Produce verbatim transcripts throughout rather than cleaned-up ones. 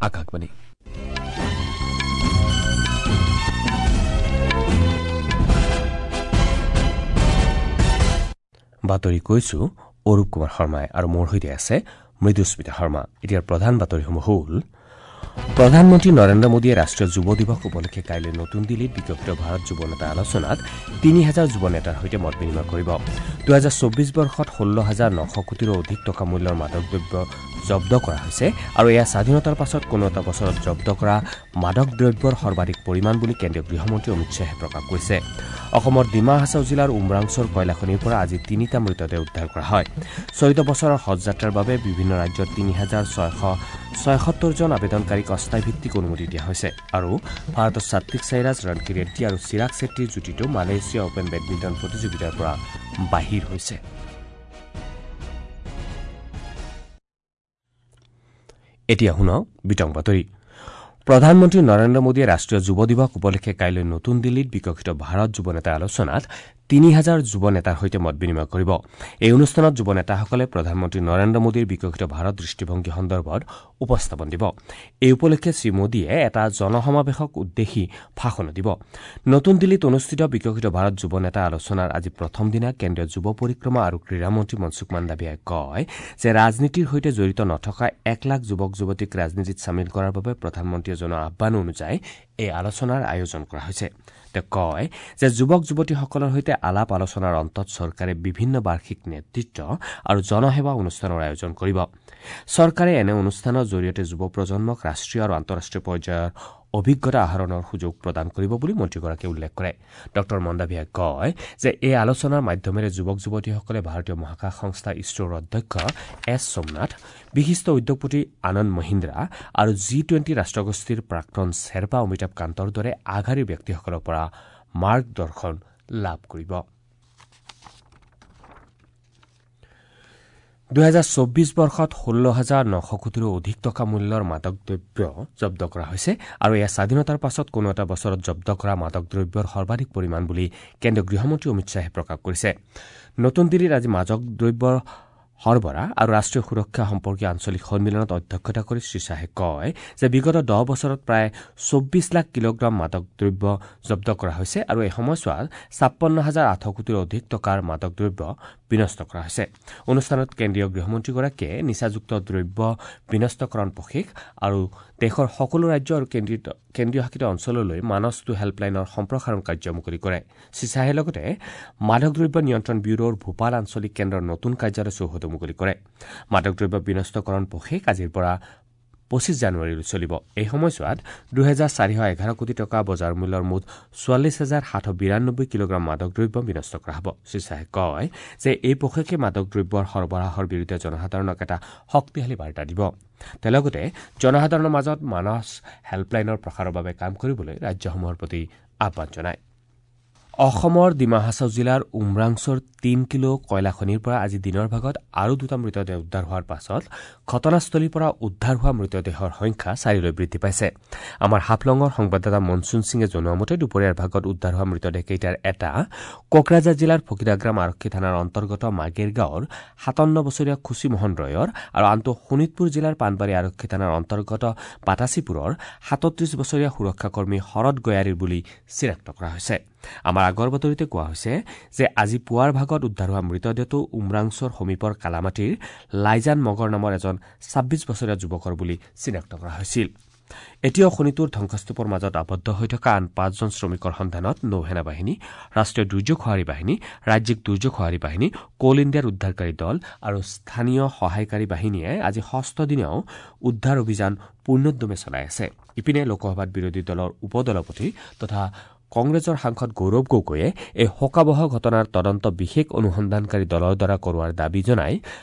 আকাশবাণী। বাতৰি কৈছো অৰূপ কুমাৰ শৰ্মাই আৰু মোৰ সৈতে আছে মৃদুস্মিতা শৰ্মা। এতিয়াৰ প্ৰধান বাতৰিসমূহ হ'ল: প্ৰধানমন্ত্ৰী নৰেন্দ্ৰ মোদীয়ে ৰাষ্ট্ৰীয় যুৱ দিৱস উপলক্ষে কাইলৈ নতুন দিল্লীত বিকশিত ভাৰত যুৱ নেতা আলোচনাত তিনি হাজাৰ যুৱ নেতাৰ সৈতে মত বিনিময় কৰিব। দুহেজাৰ চৌব্বিছ বৰ্ষত ষোল্ল হাজাৰ নশ কোটিৰো অধিক টকা মূল্যৰ মাদক দ্ৰব্য জব্দ কৰা হৈছে আৰু এয়া স্বাধীনতাৰ পাছত কোনো এটা বছৰত জব্দ কৰা মাদক দ্ৰব্যৰ সৰ্বাধিক পৰিমাণ বুলি কেন্দ্ৰীয় গৃহমন্ত্ৰী অমিত শ্বাহে প্ৰকাশ কৰিছে। অসমৰ ডিমা হাছাও জিলাৰ উমৰাংচৰ কয়লাখনিৰ পৰা আজি তিনিটা মৃতদেহ উদ্ধাৰ কৰা হয়। চলিত বছৰৰ হজ যাত্ৰাৰ বাবে বিভিন্ন ৰাজ্যৰ তিনি হাজাৰ ছয়শ ছয়সত্তৰজন আবেদনকাৰীক অস্থায়ীভিত্তিক অনুমতি দিয়া হৈছে। আৰু ভাৰতৰ সাত্বিক সাইৰাজ, ৰণকি ৰেড্ডী আৰু চিৰাগ চেট্টীৰ যুটিটো মালয়েছিয়া অপেন বেডমিণ্টন প্ৰতিযোগিতাৰ পৰা বাহিৰ হৈছে। এতিয়া শুনক বিতং বাতৰি। প্ৰধানমন্ত্ৰী নৰেন্দ্ৰ মোদীয়ে ৰাষ্ট্ৰীয় যুৱ দিৱস উপলক্ষে কাইলৈ নতুন দিল্লীত বিকশিত ভাৰত যুৱ নেতা আলোচনাত তিনি হাজাৰ যুৱ নেতাৰ সৈতে মত বিনিময় কৰিব। এই অনুষ্ঠানত যুৱ নেতাসকলে প্ৰধানমন্ত্ৰী নৰেন্দ্ৰ মোদীৰ বিকশিত ভাৰত দৃষ্টিভংগী সন্দৰ্ভত উপস্থাপন দিব। এই উপলক্ষে শ্ৰীমোদীয়ে এটা জনসমাৱেশক উদ্দেশ্যি ভাষণো দিব। নতুন দিল্লীত অনুষ্ঠিত বিকশিত ভাৰত যুৱ নেতা আলোচনাৰ আজি প্ৰথম দিনা কেন্দ্ৰীয় যুৱ পৰিক্ৰমা আৰু ক্ৰীড়ামন্ত্ৰী মনসুখ মাণ্ডাভিয়াই কয় যে ৰাজনীতিৰ সৈতে জড়িত নথকা এক লাখ যুৱক যুৱতীক ৰাজনীতিত চামিল কৰাৰ বাবে প্ৰধানমন্ত্ৰীয়ে জনোৱা আহ্বান অনুযায়ী এই আলোচনাৰ আয়োজন কৰা হৈছে। তেওঁ কয় যে যুৱক যুৱতীসকলৰ সৈতে আলাপ আলোচনাৰ অন্তত চৰকাৰে বিভিন্ন বাৰ্ষিক নেতৃত্ব আৰু জনসেৱা অনুষ্ঠানৰ আয়োজন কৰিব। চৰকাৰে এনে অনুষ্ঠানৰ জৰিয়তে যুৱ প্ৰজন্মক ৰাষ্ট্ৰীয় আৰু আন্তঃৰাষ্ট্ৰীয় পৰ্যায়ৰ অভিজ্ঞতা আহৰণৰ সুযোগ প্ৰদান কৰিব বুলি মন্ত্ৰীগৰাকীয়ে উল্লেখ কৰে। ডঃ মণ্ডাভিয়াই কয় যে এই আলোচনাৰ মাধ্যমেৰে যুৱক যুৱতীসকলে ভাৰতীয় মহাকাশ সংস্থা ইছৰোৰ অধ্যক্ষ এছ সোমনাথ, বিশিষ্ট উদ্যোগপতি আনন্দ মহিন্দ্ৰা আৰু জি টুৱেণ্টি ৰাষ্ট্ৰগোষ্ঠীৰ প্ৰাক্তন শ্বেৰপা অমিতাভ কান্তৰ দৰে আগশাৰীৰ ব্যক্তিসকলৰ পৰা মাৰ্গদৰ্শন লাভ কৰিব। দুহেজাৰ চৌব্বিছ বৰ্ষত ষোল্ল হাজাৰ নশ কোটিৰো অধিক টকা মূল্যৰ মাদক দ্ৰব্য জব্দ কৰা হৈছে আৰু এয়া স্বাধীনতাৰ পাছত কোনো এটা বছৰত জব্দ কৰা মাদক দ্ৰব্যৰ সৰ্বাধিক পৰিমাণ বুলি কেন্দ্ৰীয় গৃহমন্ত্ৰী অমিত শ্বাহে প্ৰকাশ কৰিছে। নতুন দিল্লীত আজি মাদক দ্ৰব্যৰ সৰবৰাহ আৰু ৰাষ্ট্ৰীয় সুৰক্ষা সম্পৰ্কীয় আঞ্চলিক সন্মিলনত অধ্যক্ষতা কৰি শ্ৰীশ্বাহে কয় যে বিগত দহ বছৰত প্ৰায় চৌব্বিছ লাখ কিলোগ্ৰাম মাদক দ্ৰব্য জব্দ কৰা হৈছে আৰু এই সময়ছোৱাত ছাপন্ন হাজাৰ আঠশ কোটিৰো অধিক টকাৰ মাদক দ্ৰব্য বিনষ্ট কৰা হৈছে। অনুষ্ঠানত কেন্দ্ৰীয় গৃহমন্ত্ৰীগৰাকীয়ে নিচাযুক্ত দ্ৰব্য বিনষ্টকৰণ পষেক আৰু দেশৰ সকলো ৰাজ্য আৰু কেন্দ্ৰীয় শাসিত অঞ্চললৈ মানস টু হেল্পলাইনৰ সম্প্ৰসাৰণ কাৰ্য মুকলি কৰে। শ্ৰীশ্বাহে লগতে মাদক দ্ৰব্য নিয়ন্ত্ৰণ ব্যুৰোৰ ভূপাল আঞ্চলিক কেন্দ্ৰৰ নতুন কাৰ্যালয় চৌহদো মুকলি কৰে। মাদক দ্ৰব্য বিনষ্টকৰণ পষেক আজিৰ পৰা পঁচিছ জানুৱাৰীলৈ চলিব। এই সময়ছোৱাত দুহেজাৰ চাৰিশ এঘাৰ কোটি টকা বজাৰ মূল্যৰ মুঠ চৌৱাল্লিছ হাজাৰ সাতশ বিৰান্নব্বৈ কিলোগ্ৰাম মাদক দ্ৰব্য বিনষ্ট কৰা হ'ব। শ্ৰীশ্বাহে কয় যে এই পষেকে মাদক দ্ৰব্যৰ সৰবৰাহৰ বিৰুদ্ধে জনসাধাৰণক এটা শক্তিশালী বাৰ্তা দিব। তেওঁ লগতে জনসাধাৰণৰ মাজত মানস হেল্পলাইনৰ প্ৰসাৰৰ বাবে কাম কৰিবলৈ ৰাজ্যসমূহৰ প্ৰতি আহ্বান জনায়। অসমৰ ডিমা হাছাও জিলাৰ উমৰাংচৰ তিন কিলো কয়লাখনিৰ পৰা আজি দিনৰ ভাগত আৰু দুটা মৃতদেহ উদ্ধাৰ হোৱাৰ পাছত ঘটনাস্থলীৰ পৰা উদ্ধাৰ হোৱা মৃতদেহৰ সংখ্যা চাৰিলৈ বৃদ্ধি পাইছে। আমাৰ হাফলঙৰ সংবাদদাতা মনচুন সিঙে জনোৱা মতে দুপৰীয়াৰ ভাগত উদ্ধাৰ হোৱা মৃতদেহকেইটাৰ এটা কোকৰাঝাৰ জিলাৰ ফকিৰাগ্ৰাম আৰক্ষী থানাৰ অন্তৰ্গত মাগেৰ গাঁৱৰ সাতাৱন্ন বছৰীয়া খুচীমোহন ৰয়ৰ আৰু আনটো শোণিতপুৰ জিলাৰ পাণবাৰী আৰক্ষী থানাৰ অন্তৰ্গত বাতাচীপুৰৰ সাতত্ৰিশ বছৰীয়া সুৰক্ষাকৰ্মী শৰৎ গয়াৰীৰ বুলি চিনাক্ত কৰা হৈছে। আমাৰ আগৰ বাতৰিতে কোৱা হৈছে যে আজি পুৱাৰ ভাগত উদ্ধাৰ হোৱা মৃতদেহটো উমৰাংচৰ সমীপৰ কালামাটিৰ লাইজান মগৰ নামৰ এজন ছাব্বিছ বছৰীয়া যুৱকৰ বুলি চিনাক্ত কৰা হৈছিল। এতিয়াও খনিটোৰ ধ্বংসস্তূপৰ মাজত আবদ্ধ হৈ থকা আন পাঁচজন শ্ৰমিকৰ সন্ধানত নৌসেনা বাহিনী, ৰাষ্ট্ৰীয় দুৰ্যোগ সঁহাৰি বাহিনী, ৰাজ্যিক দুৰ্যোগ সঁহাৰি বাহিনী, কোল ইণ্ডিয়াৰ উদ্ধাৰকাৰী দল আৰু স্থানীয় সহায়কাৰী বাহিনীয়ে আজি ষষ্ঠ দিনাও উদ্ধাৰ অভিযান পূৰ্ণোদ্যমে চলাই আছে। ইপিনে লোকসভাত বিৰোধী দলৰ উপ-দলপতি তথা কংগ্ৰেছৰ সাংসদ গৌৰৱ গগৈয়ে এই শোকাৱহ ঘটনাৰ তদন্ত বিশেষ অনুসন্ধানকাৰী দলৰ দ্বাৰা কৰোৱাৰ দাবী জনাই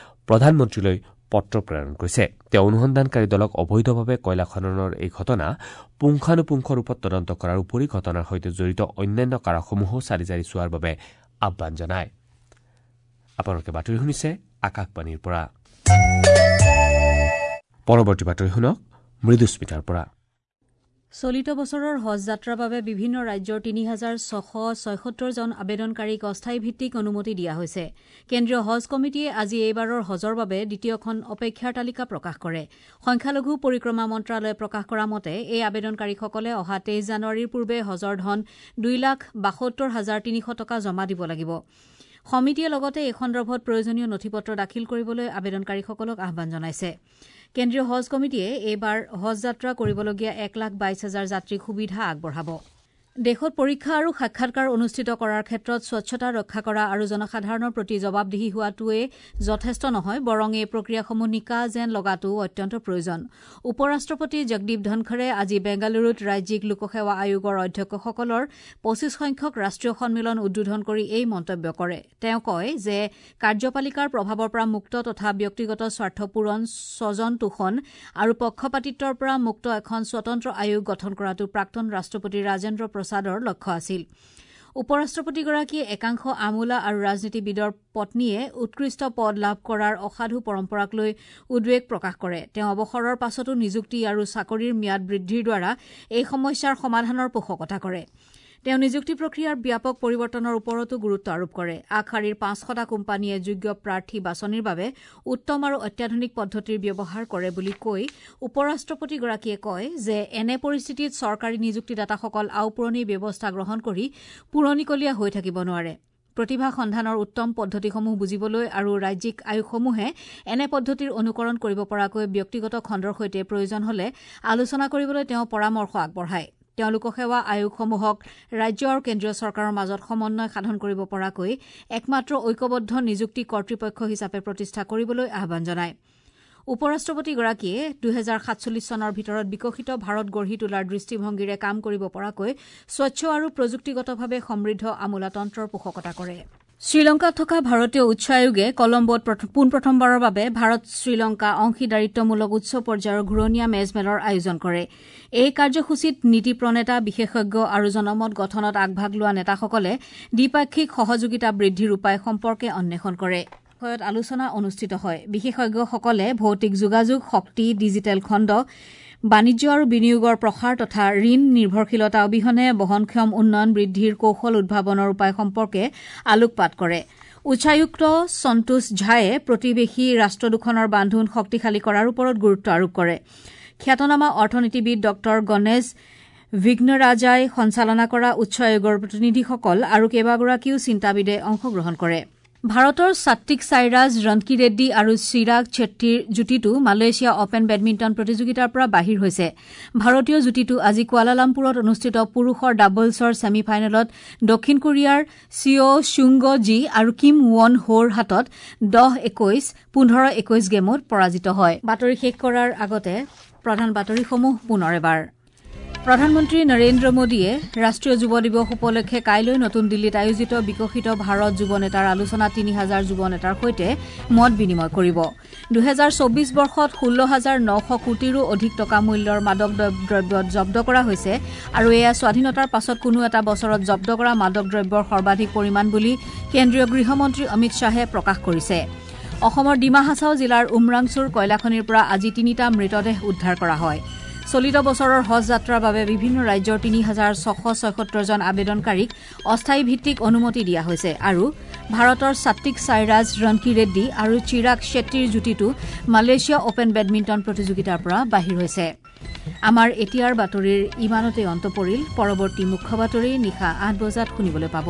প্ৰধানমন্ত্ৰীলৈ পত্ৰ প্ৰেৰণ কৰিছে। তেওঁ অনুসন্ধানকাৰী দলক অবৈধভাৱে কয়লা খননৰ এই ঘটনা পুংখানুপুংখ ৰূপত তদন্ত কৰাৰ উপৰি ঘটনাৰ সৈতে জড়িত অন্যান্য কাৰকসমূহো চালি জাৰি চোৱাৰ বাবে আহ্বান জনায়। আপোনালোকে বাতৰি শুনিছে আকাশবাণীৰ পৰা। পৰৱৰ্তী বাতৰি শুনক মৃদুস্মিতাৰ পৰা। চলিত বছৰৰ হজ যাত্ৰাৰ বাবে বিভিন্ন ৰাজ্যৰ তিনি হাজাৰ ছশ ছয়সত্তৰ জন আবেদনকাৰীক অস্থায়ী ভিত্তিক অনুমতি দিয়া হৈছে। কেন্দ্ৰীয় হজ কমিটিয়ে আজি এইবাৰৰ হজৰ বাবে দ্বিতীয়খন অপেক্ষাৰ তালিকা প্ৰকাশ কৰে। সংখ্যালঘু পৰিক্ৰমা মন্ত্ৰালয়ে প্ৰকাশ কৰা মতে এই আবেদনকাৰীসকলে অহা তেইছ জানুৱাৰীৰ পূৰ্বে হজৰ ধন দুই লাখ বাসত্তৰ হাজাৰ তিনিশ টকা জমা দিব লাগিব। সমিতিয়ে লগতে এই সন্দৰ্ভত প্ৰয়োজনীয় নথিপত্ৰ দাখিল কৰিবলৈ আবেদনকাৰীসকলক আহ্বান জনাইছে। কেন্দ্ৰীয় হজ কমিটিয়ে এইবাৰ হজ যাত্ৰা কৰিবলগীয়া এক লাখ বাইছ হাজাৰ যাত্ৰীক সুবিধা আগবঢ়াব। দেশত পৰীক্ষা আৰু সাক্ষাৎকাৰ অনুষ্ঠিত কৰাৰ ক্ষেত্ৰত স্বচ্ছতা ৰক্ষা কৰা আৰু জনসাধাৰণৰ প্ৰতি জবাবদিহি হোৱাটোৱে যথেষ্ট নহয়, বৰং এই প্ৰক্ৰিয়াসমূহ নিকা যেন লগাটোও অত্যন্ত প্ৰয়োজন। উপ ৰাষ্ট্ৰপতি জগদীপ ধনখৰে আজি বেংগালুৰুত ৰাজ্যিক লোকসেৱা আয়োগৰ অধ্যক্ষসকলৰ পঁচিছ সংখ্যক ৰাষ্ট্ৰীয় সন্মিলন উদ্বোধন কৰি এই মন্তব্য কৰে। তেওঁ কয় যে কাৰ্যপালিকাৰ প্ৰভাৱৰ পৰা মুক্ত তথা ব্যক্তিগত স্বাৰ্থ পূৰণ, স্বজন তোষণ আৰু পক্ষপাতিত্বৰ পৰা মুক্ত এখন স্বতন্ত্ৰ আয়োগ গঠন কৰাটো প্ৰাক্তন ৰাষ্ট্ৰপতি ৰাজেন্দ্ৰ প্ৰসাদৰ লক্ষ্য আছিল। উপ ৰাষ্ট্ৰপতিগৰাকীয়ে একাংশ আমোলা আৰু ৰাজনীতিবিদৰ পত্নীয়ে উৎকৃষ্ট পদ লাভ কৰাৰ অসাধু পৰম্পৰাক লৈ উদ্বেগ প্ৰকাশ কৰে। তেওঁ অৱসৰৰ পাছতো নিযুক্তি আৰু চাকৰিৰ ম্যাদ বৃদ্ধিৰ দ্বাৰা এই সমস্যাৰ সমাধানৰ পোষকতা কৰে। তেওঁ নিযুক্তি প্ৰক্ৰিয়াৰ ব্যাপক পৰিৱৰ্তনৰ ওপৰতো গুৰুত্ব আৰোপ কৰে। আগশাৰীৰ পাঁচশটা কোম্পানীয়ে যোগ্য প্ৰাৰ্থী বাছনিৰ বাবে উত্তম আৰু অত্যাধুনিক পদ্ধতিৰ ব্যৱহাৰ কৰে বুলি কৈ উপ ৰাষ্ট্ৰপতিগৰাকীয়ে কয় যে এনে পৰিস্থিতিত চৰকাৰী নিযুক্তিদাতাসকল আওপুৰণি ব্যৱস্থা গ্ৰহণ কৰি পুৰণিকলীয়া হৈ থাকিব নোৱাৰে। প্ৰতিভা সন্ধানৰ উত্তম পদ্ধতিসমূহ বুজিবলৈ আৰু ৰাজ্যিক আয়োগসমূহে এনে পদ্ধতিৰ অনুকৰণ কৰিব পৰাকৈ ব্যক্তিগত খণ্ডৰ সৈতে প্ৰয়োজন হলে আলোচনা কৰিবলৈ তেওঁ পৰামৰ্শ আগবঢ়ায়। তেওঁ লোকসেৱা আয়োগসমূহক ৰাজ্য আৰু কেন্দ্ৰীয় চৰকাৰৰ মাজত সমন্বয় সাধন কৰিব পৰাকৈ একমাত্ৰ ঐক্যবদ্ধ নিযুক্তি কৰ্তৃপক্ষ হিচাপে প্ৰতিষ্ঠা কৰিবলৈ আহ্বান জনায়। উপ ৰাষ্ট্ৰপতিগৰাকীয়ে দুহেজাৰ সাতচল্লিছ চনৰ ভিতৰত বিকশিত ভাৰত গঢ়ি তোলাৰ দৃষ্টিভংগীৰে কাম কৰিব পৰাকৈ স্বচ্ছ আৰু প্ৰযুক্তিগতভাৱে সমৃদ্ধ আমোলাতন্ত্ৰৰ পোষকতা কৰে। শ্ৰীলংকাত থকা ভাৰতীয় উচ্চ আয়োগে কলম্বোত পোনপ্ৰথমবাৰৰ বাবে ভাৰত শ্ৰীলংকা অংশীদাৰিত্বমূলক উচ্চ পৰ্যায়ৰ ঘূৰণীয়া মেজমেলৰ আয়োজন কৰে। এই কাৰ্যসূচীত নীতি প্ৰণেতা, বিশেষজ্ঞ আৰু জনমত গঠনত আগভাগ লোৱা নেতাসকলে দ্বিপাক্ষিক সহযোগিতা বৃদ্ধিৰ উপায় সম্পৰ্কে অন্বেষণ কৰে। বিষয়ত আলোচনা অনুষ্ঠিত হয়। বিশেষজ্ঞসকলে ভৌতিক যোগাযোগ, শক্তি, ডিজিটেল খণ্ড, বাণিজ্য আৰু বিনিয়োগৰ প্ৰসাৰ তথা ঋণ নিৰ্ভৰশীলতা অবিহনে বহনক্ষম উন্নয়ন বৃদ্ধিৰ কৌশল উদ্ভাৱনৰ উপায় সম্পৰ্কে আলোকপাত কৰে। উচ্চায়ুক্ত সন্তোষ ঝায়ে প্ৰতিবেশী ৰাষ্ট্ৰ দুখনৰ বান্ধোন শক্তিশালী কৰাৰ ওপৰত গুৰুত্ব আৰোপ কৰে। খ্যাতনামা অৰ্থনীতিবিদ ডঃ গণেশ বিঘ্নৰাজাই সঞ্চালনা কৰা উচ্চ আয়োগৰ প্ৰতিনিধিসকল আৰু কেইবাগৰাকীও চিন্তাবিদে অংশগ্ৰহণ কৰে। ভাৰতৰ সাত্বিক সাইৰাজ ৰনকি ৰেড্ডী আৰু চিৰাগ চেট্টীৰ যুটিটো মালয়েছিয়া অপেন বেডমিণ্টন প্ৰতিযোগিতাৰ পৰা বাহিৰ হৈছে। ভাৰতীয় যুটিটো আজি কুৱালালামপুৰত অনুষ্ঠিত পুৰুষৰ ডাবলছৰ ছেমি ফাইনেলত দক্ষিণ কোৰিয়াৰ চিঅ চুংগ জি আৰু কিম ৱন হোৰ হাতত দহ একৈশ, পোন্ধৰ একৈশ গেমত পৰাজিত হয়। বাতৰি শেষ কৰাৰ আগতে প্ৰধান বাতৰিসমূহ পুনৰ এবাৰ। প্ৰধানমন্ত্ৰী নৰেন্দ্ৰ মোদীয়ে ৰাষ্ট্ৰীয় যুৱ দিৱস উপলক্ষে কাইলৈ নতুন দিল্লীত আয়োজিত বিকশিত ভাৰত যুৱ নেতাৰ আলোচনা তিনি হাজাৰ যুৱ নেতাৰ সৈতে মত বিনিময় কৰিব। দুহেজাৰ চৌবিশ বৰ্ষত ষোল্ল হাজাৰ নশ কোটিৰো অধিক টকা মূল্যৰ মাদক দ্ৰব্য জব্দ কৰা হৈছে আৰু এয়া স্বাধীনতাৰ পাছত কোনো এটা বছৰত জব্দ কৰা মাদক দ্ৰব্যৰ সৰ্বাধিক পৰিমাণ বুলি কেন্দ্ৰীয় গৃহমন্ত্ৰী অমিত শ্বাহে প্ৰকাশ কৰিছে। অসমৰ ডিমা হাছাও জিলাৰ উমৰাংচুৰ কয়লাখনিৰ পৰা আজি তিনিটা মৃতদেহ উদ্ধাৰ কৰা হয়। চলিত বছৰৰ হজ যাত্ৰাৰ বাবে বিভিন্ন ৰাজ্যৰ তিনি হাজাৰ ছশ ছয়সত্তৰ জন আবেদনকাৰীক অস্থায়ী ভিত্তিক অনুমতি দিয়া হৈছে আৰু ভাৰতৰ সাত্বিক সাইৰাজ ৰনকি ৰেড্ডী আৰু চিৰাগ চেট্টীৰ যুটিটো মালয়েছিয়া অপেন বেডমিণ্টন প্ৰতিযোগিতাৰ পৰা বাহিৰ হৈছে। আমাৰ এতিয়াৰ বাতৰিৰ ইমানতে অন্ত পৰিল। পৰৱৰ্তী মুখ্য বাতৰি নিশা আঠ বজাত শুনিবলৈ পাব।